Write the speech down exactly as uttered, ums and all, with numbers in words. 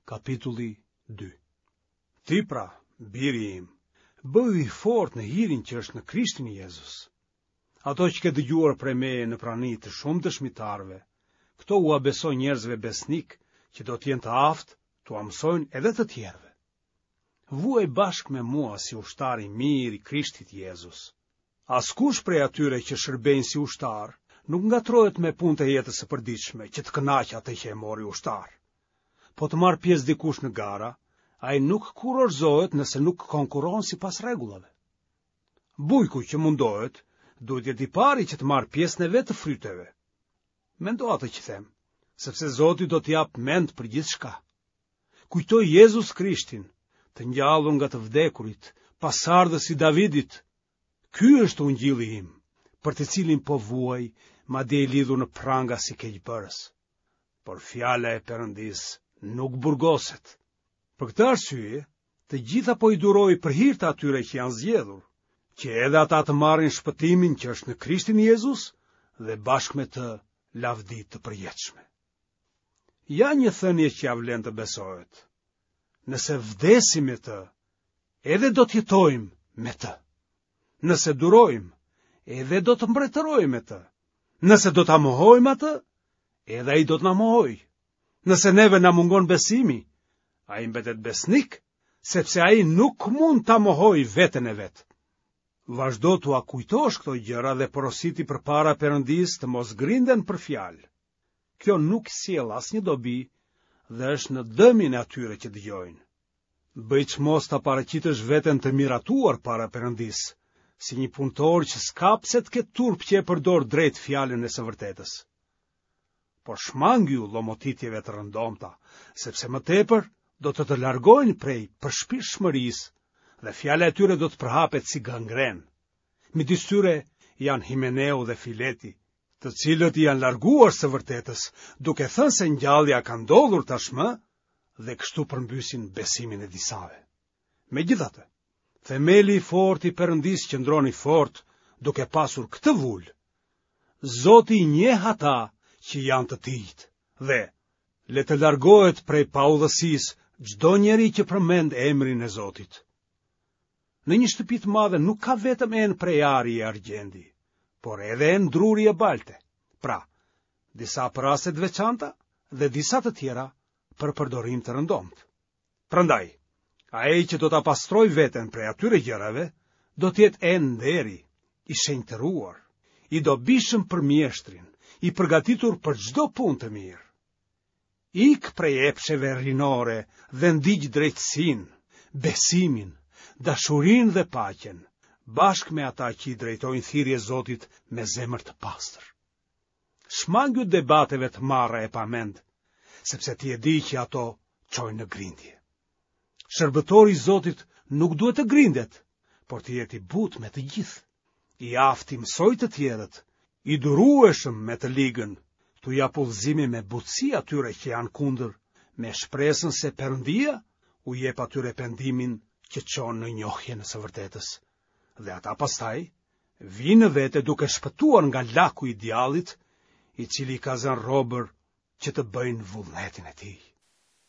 Kapitulli dy. Ti pra, biri im, bëhu i fortë në hirin që është në Krishtin Jezus. Ato që ke dëgjuar prej meje në prani të shumë dëshmitarëve, këto ua beso njerëzve besnikë që do të jenë të aftë t'ua mësojnë edhe të tjerëve. Vuaj bashkë me mua si ushtar i mirë i Krishtit Jezus. Askush prej atyre që shërbejnë si ushtar nuk ngatërrohet me punët e jetës së përditshme që të kënaqë atë që e mori ushtar. Po të marrë pjesë dikush në gara, ai nuk kurorëzohet nëse nuk konkurron sipas rregullave. Bujku që mundohet, duhet të jetë i pari që të marrë pjesën e vet të fryteve. Mendo atë që them, sepse Zoti do të japë mend për gjithçka. Kujto Jezus Krishtin, të ngjallur nga të vdekurit, pasardhës i Davidit. Ky është ungjilli im, për të cilin po vuaj, madje i lidhur në pranga si keqbërës. Por fjala e Perëndisë nuk burgoset. Për këtë arsye, të gjitha po i duroj për hir të atyre që janë zgjedhur, që edhe ata të marrin shpëtimin që është në Krishtin Jezus dhe bashkë me të lavdi të përjetshme. Ja një thënie që ia vlen të besohet. Nëse vdesim me të, edhe do të jetojmë me të. Nëse durojmë, edhe do të mbretërojmë me të. Nëse do ta mohojmë atë, edhe ai do të na mohojë. Nëse neve na mungon besimi, ai mbetet besnik, sepse ai nuk mund ta mohojë veten e vet. Vazhdo t'ua kujtosh këto gjëra dhe porositi përpara Perëndisë të mos grinden për fjalë. Kjo nuk sjell asnjë dobi dhe është në dëmin e atyre që dëgjojnë. Bëj çmos ta paraqitësh veten të miratuar para Perëndisë, si një punëtor që s'ka pse të ketë turp që e përdor drejt fjalën e së vërtetës. Por shmangju llomotitjeve të rëndomta, sepse më tepër do të të largojnë prej përshpirtshmërisë dhe fjala e tyre do të përhapet si gangrenë. Midis tyre janë Himeneu dhe Fileti, të cilët i janë larguar së vërtetës, duke thënë se ngjallja ka ndodhur tashmë dhe kështu përmbysin besimin e disave. Megjithatë, themeli i fortë i Perëndisë qëndron i fortë, duke pasur këtë vulë. Zoti i njeh ata që janë të tijtë dhe le të largohet prej paudhësisë çdo njeri që përmend emrin e Zotit. Në një shtëpi të madhe nuk ka vetëm enë prej ari e argjendi, por edhe enë druri e balte. Pra, disa për raste të veçanta dhe disa të tjera për përdorim të rëndomtë. Prandaj, ai që do ta pastrojë veten prej atyre gjërave, do të jetë enë nderi, i shenjtëruar, i dobishëm për mjeshtrin, i përgatitur për çdo punë të mirë. Ik prej epsheve rinore dhe ndiq drejtësinë, besimin, dashurinë dhe paqen, bashkë me ata që i drejtojnë thirrje Zotit me zemër të pastër. Shmangju debateve të marra e pa mend, sepse ti e di që ato çojnë në grindje. Shërbëtori i Zotit nuk duhet të grindet, por të jetë i butë me të gjithë, i aftë t'i mësojë të tjerët, i durueshëm me të ligën, t'u japë udhëzime me butësi atyre që janë kundër, me shpresën se Perëndia u jep atyre pendimin që çon në njohjen e së vërtetës. Dhe ata pastaj vijnë në vete duke shpëtuar nga laku i djallit, i cili i ka zënë robër që të bëjnë vullnetin e tij.